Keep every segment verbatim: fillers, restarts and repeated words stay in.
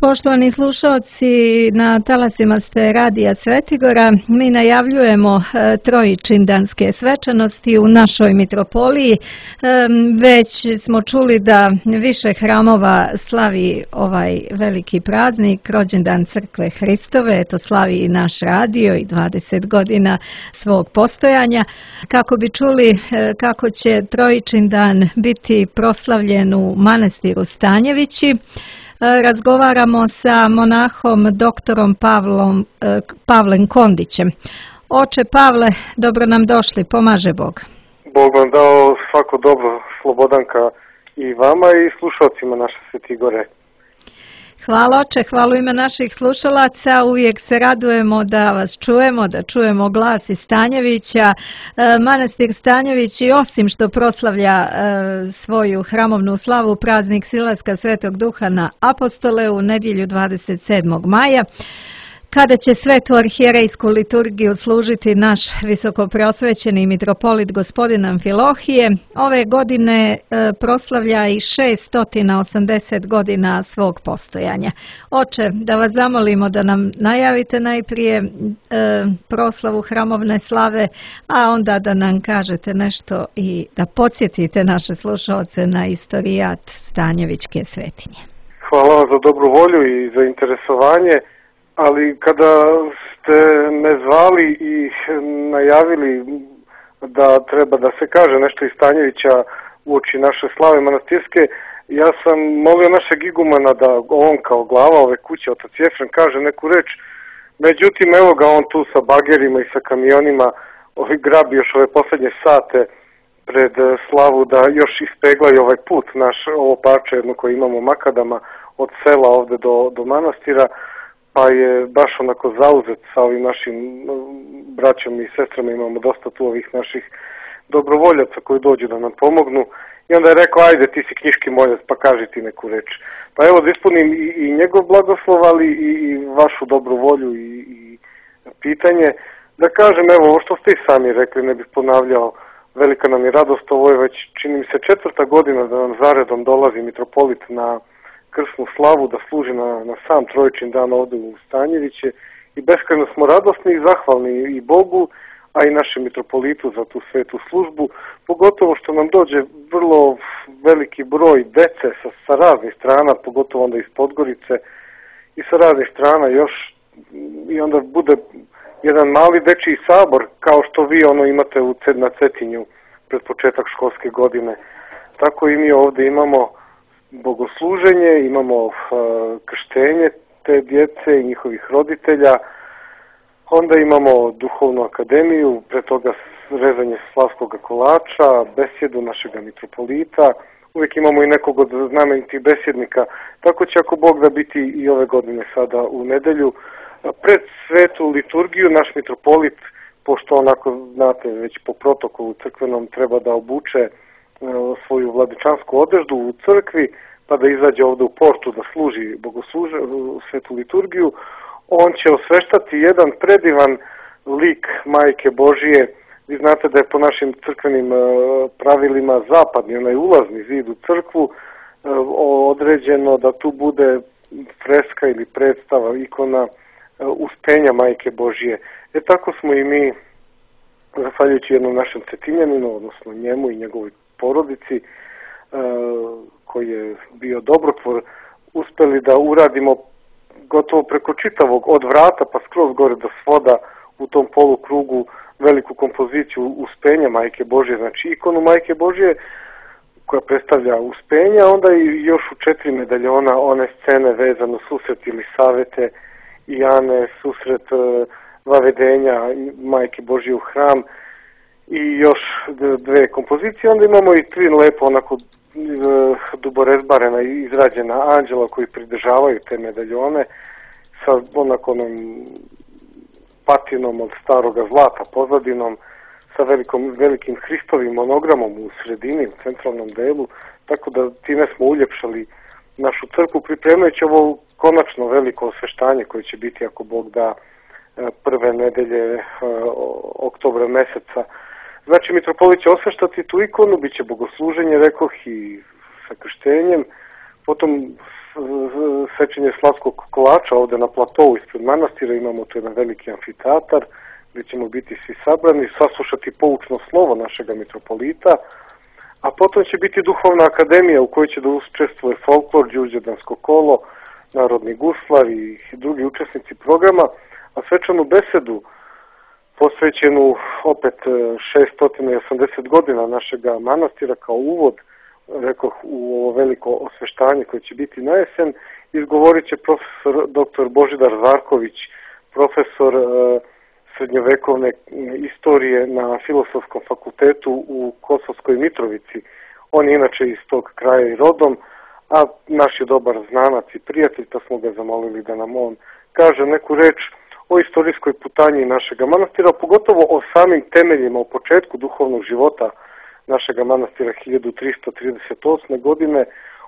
Poštovani slušalci, na talasima ste Radija Svetigora. Mi najavljujemo trojičindanske svečanosti u našoj mitropoliji. Već smo čuli da više hramova slavi ovaj veliki praznik, rođendan Crkve Hristove. Eto, slavi i naš radio i dvadeset godina svog postojanja. Kako bi čuli kako će trojičindan biti proslavljen u manastiru Stanjevići, razgovaramo sa monahom doktorom Pavlom, Pavlem Kondićem. Oče Pavle, dobro nam došli, pomaže Bog. Bog vam dao svako dobro, Slobodanka, i vama i slušalcima naše Svetigore. Hvala oče, hvala u ime naših slušalaca. Uvijek se radujemo da vas čujemo, da čujemo glas iz Stanjevića. Manastir Stanjevići, osim što proslavlja svoju hramovnu slavu, praznik Silaska Svetog Duha na Apostole u nedjelju dvadeset sedmog maja, kada će svetu arhijerejsku liturgiju služiti naš visokopreosvećeni mitropolit gospodin Amfilohije, ove godine proslavlja i šeststo osamdeset godina svog postojanja. Oče, da vas zamolimo da nam najavite najprije proslavu hramovne slave, a onda da nam kažete nešto i da podsjetite naše slušalce na istorijat Stanjevićke svetinje. Hvala vam za dobru volju i za interesovanje. Ali kada ste me zvali i najavili da treba da se kaže nešto iz Stanjevića uoči naše slave manastirske, ja sam molio našeg igumana da on kao glava ove kuće, otac Jefrem, kaže neku reč. Međutim, evo ga on tu sa bagerima i sa kamionima ovi grabi još ove posljednje sate pred slavu da još ispeglaju ovaj put naš, ovo parče jedno koje imamo makadama od sela ovde do, do manastira. Pa je baš onako zauzet sa ovim našim braćom i sestrama, imamo dosta tu ovih naših dobrovoljaca koji dođu da nam pomognu. I onda je rekao, ajde ti si knjiški moljac, pa kaži ti neku reč. Pa evo da ispunim i, i njegov blagoslov, ali i, i vašu dobru volju i, i pitanje. Da kažem, evo ovo što ste i sami rekli, ne bih ponavljao, velika nam je radost, ovo je već čini mi se četvrta godina da nam zaredom dolazi mitropolit na krsnu slavu, da služi na, na sam trojičin dan ovdje u Stanjeviće i beskrajno smo radosni i zahvalni i Bogu, a i našem mitropolitu za tu svetu službu, pogotovo što nam dođe vrlo veliki broj dece sa, sa raznih strana, pogotovo onda iz Podgorice i sa raznih strana još, i onda bude jedan mali dečiji sabor kao što vi ono imate u, na Cetinju pred početak školske godine. Tako i mi ovdje imamo bogosluženje, imamo uh, krštenje te djece i njihovih roditelja, onda imamo duhovnu akademiju, pre toga rezanje slavskog kolača, besjedu našega mitropolita, uvijek imamo i nekog od znamenitih besjednika, tako će ako Bog da biti i ove godine sada u nedelju. Pred svetu liturgiju naš mitropolit, pošto onako znate već po protokolu crkvenom treba da obuče svoju vladičansku odeždu u crkvi, pa da izađe ovdje u portu da služi bogosluže, svetu liturgiju, on će osveštati jedan predivan lik Majke Božije. Vi znate da je po našim crkvenim pravilima zapadni, onaj ulazni zid u crkvu, određeno da tu bude freska ili predstava, ikona uspenja Majke Božije. E tako smo i mi, zahvaljujući jednom našem Cetinjaninu, odnosno njemu i njegovoj porodici, koji je bio dobrotvor, uspeli da uradimo gotovo preko čitavog od vrata pa skroz gore do svoda u tom polukrugu veliku kompoziciju uspenja Majke Božje, znači ikonu Majke Božje koja predstavlja uspenja, onda i još u četiri medaljona one scene vezano susret ili savete i Ane, susret vavedenja Majke Božje u hram i još dve kompozicije. Onda imamo i tri lepo onako duborezbarena i izrađena anđela koji pridržavaju te medaljone sa onako onom patinom od staroga zlata pozadinom, sa velikom, velikim Hristovim monogramom u sredini, u centralnom delu, tako da time smo uljepšali našu crkvu, pripremajući ovo konačno veliko osveštanje koje će biti, ako Bog da, prve nedelje oktobra meseca. Znači, mitropolit će osveštati tu ikonu, bit će bogosluženje, rekoh, i sa krštenjem, potom sečenje slavskog kolača ovde na platovu ispred manastira, imamo tu jedan veliki amfiteatar gdje ćemo biti svi sabrani, saslušati poučno slovo našega mitropolita, a potom će biti duhovna akademija u kojoj će da učestvuje folklor, đurđevdansko kolo, narodni guslar i drugi učesnici programa, a svečanu besedu posvećenu opet šesto osamdeset godina našega manastira kao uvod, rekoh, u ovo veliko osveštanje koje će biti na jesen, izgovorit će profesor doktor Božidar Zarković, profesor e, srednjovekovne istorije na Filosofskom fakultetu u Kosovskoj Mitrovici. On je inače iz tog kraja i rodom, a naš je dobar znanac i prijatelj, pa smo ga zamolili da nam on kaže neku reč o istorijskoj putanji našega manastira, pogotovo o samim temeljima, o početku duhovnog života našega manastira hiljadu tristo trideset osme. godine,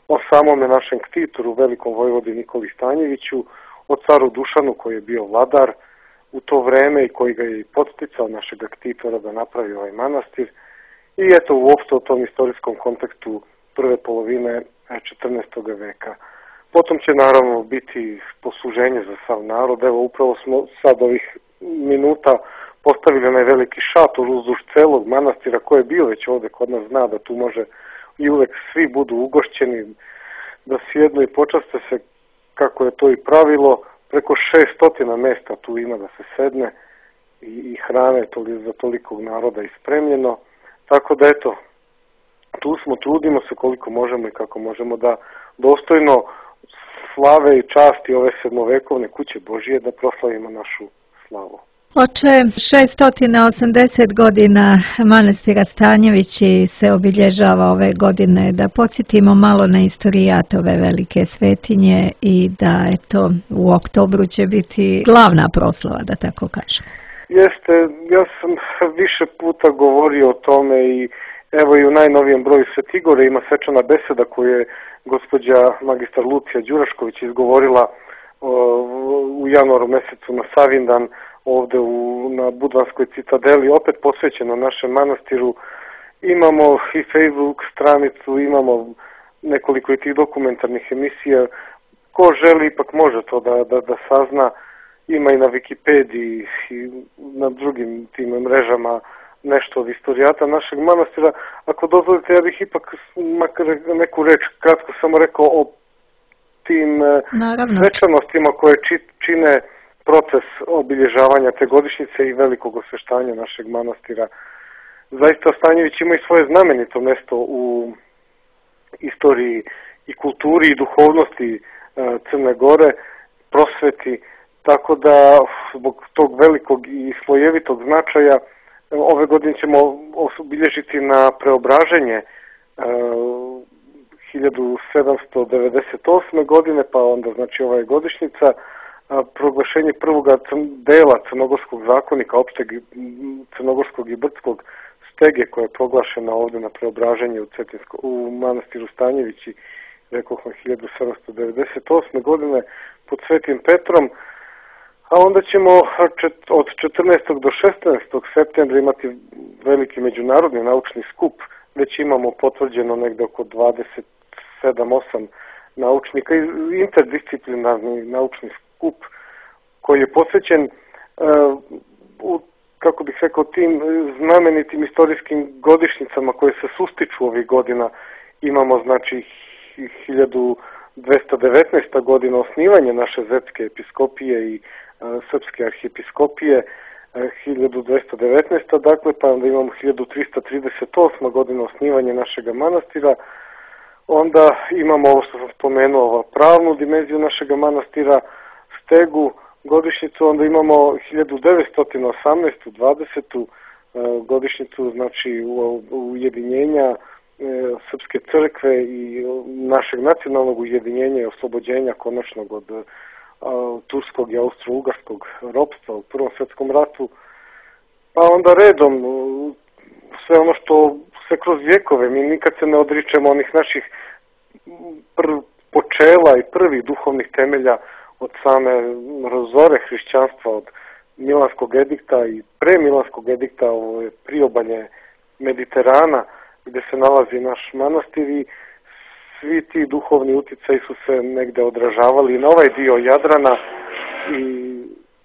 o samome našem ktitoru, velikom vojvodi Nikoli Stanjeviću, o caru Dušanu koji je bio vladar u to vreme i koji ga je i podsticao našega ktitora da napravi ovaj manastir. I eto uopšte o tom istorijskom kontekstu prve polovine četrnaestog veka. Potom će naravno biti posluženje za sav narod. Evo upravo smo sad ovih minuta postavili onaj veliki šator uzduž celog manastira koji je bio već ovde kod nas, zna da tu može i uvek svi budu ugošćeni, da sjednu i počaste se kako je to i pravilo. Preko šeststo mesta tu ima da se sedne i, i hrane toli, za tolikog naroda ispremljeno. Tako da eto, tu smo, trudimo se koliko možemo i kako možemo da dostojno slave i časti ove sedmovekovne kuće Božije da proslavimo našu slavu. Oče, šesto osamdeset godina manastira Stanjevići se obilježava ove godine. Da podsjetimo malo na istorijat ove velike svetinje i da eto u oktobru će biti glavna proslava, da tako kažem. Jeste, ja sam više puta govorio o tome i evo i u najnovijem broju Svetigore ima svečana beseda koju je gospođa magistar Lucija Đurašković izgovorila o, u januaru mesecu na Savindan ovde u, na Budvanskoj citadeli, opet posvećeno našem manastiru. Imamo i Facebook stranicu, imamo nekoliko i tih dokumentarnih emisija. Ko želi ipak može to da, da, da sazna. Ima i na Wikipediji i na drugim tim mrežama nešto od istorijata našeg manastira. Ako dozvolite, ja bih ipak makar neku reč kratko samo rekao o tim Naravno. svečanostima koje čine proces obilježavanja te godišnjice i velikog osveštanja našeg manastira. Zaista Stanjević ima i svoje znamenito mesto u istoriji i kulturi i duhovnosti Crne Gore, prosveti, tako da zbog tog velikog i slojevitog značaja ove godine ćemo obilježiti na preobraženje hiljadu sedamsto devedeset osme. godine, pa onda znači ova je godišnjica, proglašenje prvog dela Crnogorskog zakonika, opšteg Crnogorskog i Brdskog stege koja je proglašena ovde na preobraženje u, Cetinsko, u manastiru Stanjevići, rekao sam hiljadu sedamsto devedeset osme. godine pod Svetim Petrom, a onda ćemo od četrnaestog do šesnaestog septembra imati veliki međunarodni naučni skup. Već imamo potvrđeno negde oko dvadeset sedam osam naučnika i interdisciplinarni naučni skup koji je posvećen uh, u, kako bih rekao, tim znamenitim istorijskim godišnjicama koje se sustiču ovih godina. Imamo znači hiljadu dvesta devetnaesta. godina osnivanje naše Zetske episkopije i uh, Srpske arhijepiskopije, uh, hiljadu dvesta devetnaesta. dakle, pa onda imamo hiljadu trista trideset osma. godina osnivanje našega manastira. Onda imamo ovo što sam spomenuo, ovo, pravnu dimenziju našega manastira, stegu, godišnjicu, onda imamo hiljadu devetsto osamnaestu. dvadesetu. godišnjicu, znači ujedinjenja Srpske crkve i našeg nacionalnog ujedinjenja i oslobođenja konačnog od turskog i austro-ugarskog ropstva u Prvom svetskom ratu. Pa onda redom sve ono što se kroz vjekove, mi nikad se ne odričemo onih naših prv, počela i prvih duhovnih temelja od same rozore hrišćanstva, od Milanskog edikta i pre Milanskog edikta, ovo je priobalje Mediterana gdje se nalazi naš manastir i svi ti duhovni utjecaji su se negde odražavali na ovaj dio Jadrana i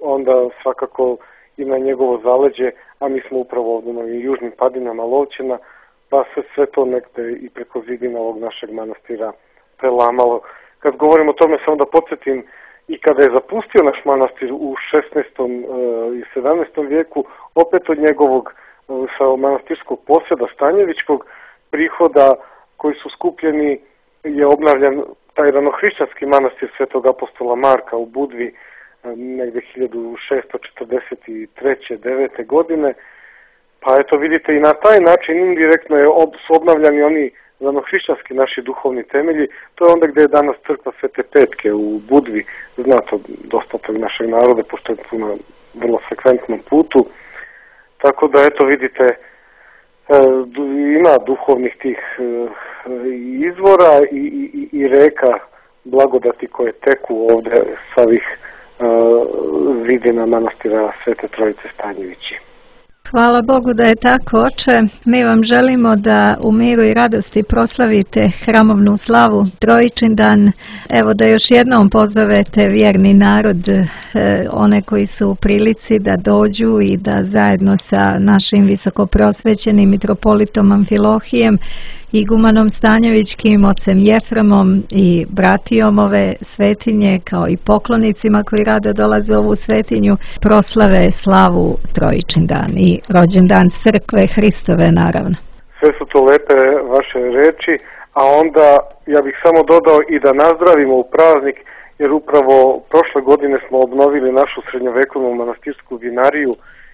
onda svakako i na njegovo zaleđe, a mi smo upravo ovdje na južnim padinama Lovćena, pa se sve to negde i preko zidina ovog našeg manastira prelamalo. Kad govorim o tome, samo da podsjetim, i kada je zapustio naš manastir u šesnaestom i sedamnaestom vijeku, opet od njegovog sa manastirskog posjeda Stanjevićkog prihoda koji su skupljeni je obnavljan taj ranohrišćanski manastir Svetog apostola Marka u Budvi negde hiljadu šesto četrdeset treće devete godine. Pa eto vidite, i na taj način indirektno je ob, su obnavljani oni ranohrišćanski naši duhovni temelji. To je onda gde je danas crkva Svete Petke u Budvi, zna to dosta tog našeg naroda, pošto je tu na vrlo frekventnom putu. Tako da eto vidite, ima duhovnih tih izvora i, i, i reka blagodati koje teku ovde sa ovih zidina manastira Svete Trojice Stanjevići. Hvala Bogu da je tako, oče. Mi vam želimo da u miru i radosti proslavite hramovnu slavu Trojičindan. Evo da još jednom pozovete vjerni narod, one koji su u prilici da dođu i da zajedno sa našim visokoprosvećenim mitropolitom Amfilohijem, igumanom Stanjevićkim, ocem Jefremom i bratijom ove svetinje, kao i poklonicima koji rado dolaze u ovu svetinju, proslave slavu Trojičindan i rođendan crkve Hristove, naravno. Sve su to lepe vaše reči, a onda ja bih samo dodao i da nazdravimo u praznik, jer upravo prošle godine smo obnovili našu srednjovekovnu manastirsku vinariju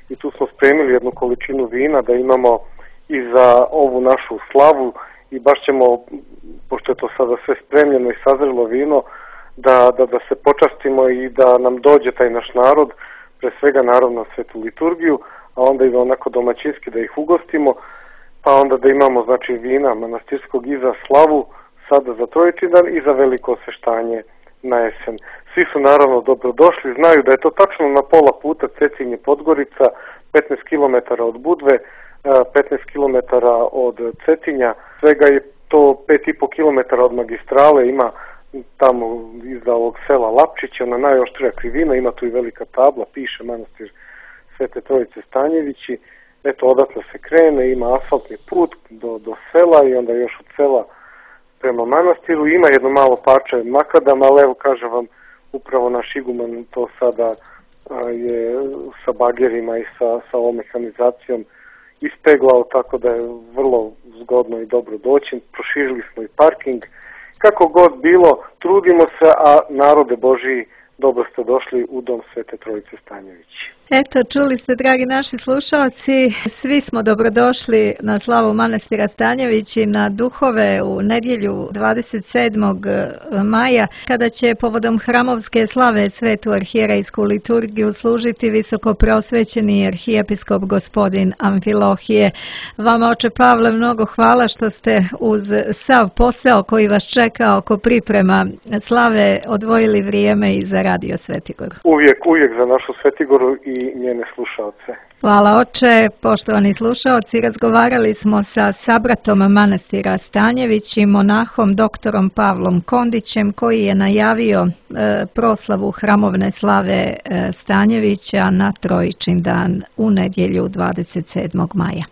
i tu smo spremili jednu količinu vina da imamo i za ovu našu slavu, i baš ćemo, pošto je to sada sve spremljeno i sazrelo vino, da, da, da se počastimo i da nam dođe taj naš narod, pre svega naravno svetu liturgiju, a onda i onako domaćinski da ih ugostimo, pa onda da imamo znači vina manastirskog i za slavu, sada za Trojičindan i za veliko osveštanje na jesen. Svi su naravno dobrodošli, znaju da je to tačno na pola puta Cetinje Podgorica, petnaest kilometara od Budve, petnaest kilometara od Cetinja, svega je to pet i po kilometara od magistrale, ima tamo iza ovog sela Lapčića, na najoštrija krivina, ima tu i velika tabla, piše manastir Svete Trojice Stanjevići. Eto, odatle se krene, ima asfaltni put do, do sela i onda još od sela prema manastiru. Ima jedno malo parče makadama, ali evo kažem vam, upravo naš iguman to sada a, je sa bagerima i sa, sa ovom mehanizacijom ispeglao, tako da je vrlo zgodno i dobro doći. Proširili smo i parking. Kako god bilo, trudimo se, a narode Božiji, dobro ste došli u dom Svete Trojice Stanjevići. Eto, čuli ste, dragi naši slušalci, svi smo dobrodošli na slavu manastira Stanjevići na duhove u nedjelju dvadeset sedmog maja, kada će povodom hramovske slave svetu arhijerejsku liturgiju služiti visokoprosvećeni arhijepiskop gospodin Amfilohije. Vama, oče Pavle, mnogo hvala što ste uz sav posao koji vas čeka oko priprema slave odvojili vrijeme i za Radio Svetigoru. Uvijek, uvijek za našu Svetigoru i njene slušaoce. Hvala, oče. Poštovani slušaoci, razgovarali smo sa sabratom manastira Stanjević i monahom doktorom Pavlom Kondićem, koji je najavio e, proslavu hramovne slave e, Stanjevića na Trojičindan u nedjelju dvadeset sedmog maja.